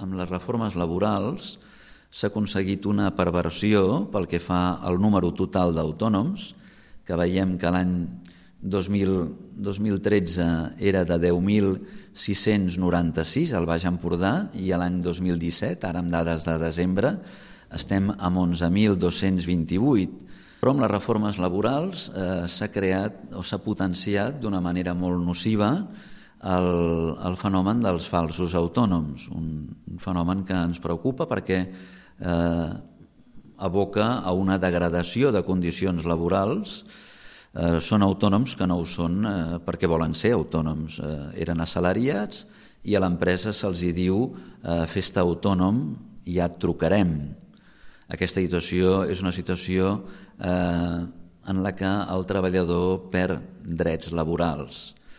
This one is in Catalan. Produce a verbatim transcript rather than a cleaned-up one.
amb les reformes laborals s'ha aconseguit una perversió pel que fa al número total d'autònoms, que veiem que l'any dos mil tretze era de deu mil sis-cents noranta-sis al Baix Empordà i l'any dos mil disset, ara amb dades de desembre, estem amb onze mil dos-cents vint-i-vuit. Però amb les reformes laborals eh, s'ha creat o s'ha potenciat d'una manera molt nociva el, el fenomen dels falsos autònoms, un, un fenomen que ens preocupa perquè eh, aboca a una degradació de condicions laborals. Eh, són autònoms que no ho són eh, perquè volen ser autònoms. Eh, eren assalariats i a l'empresa se'ls hi diu eh, fes-te autònom i ja et trucarem. Aquesta situació és una situació eh, en la que el treballador perd drets laborals.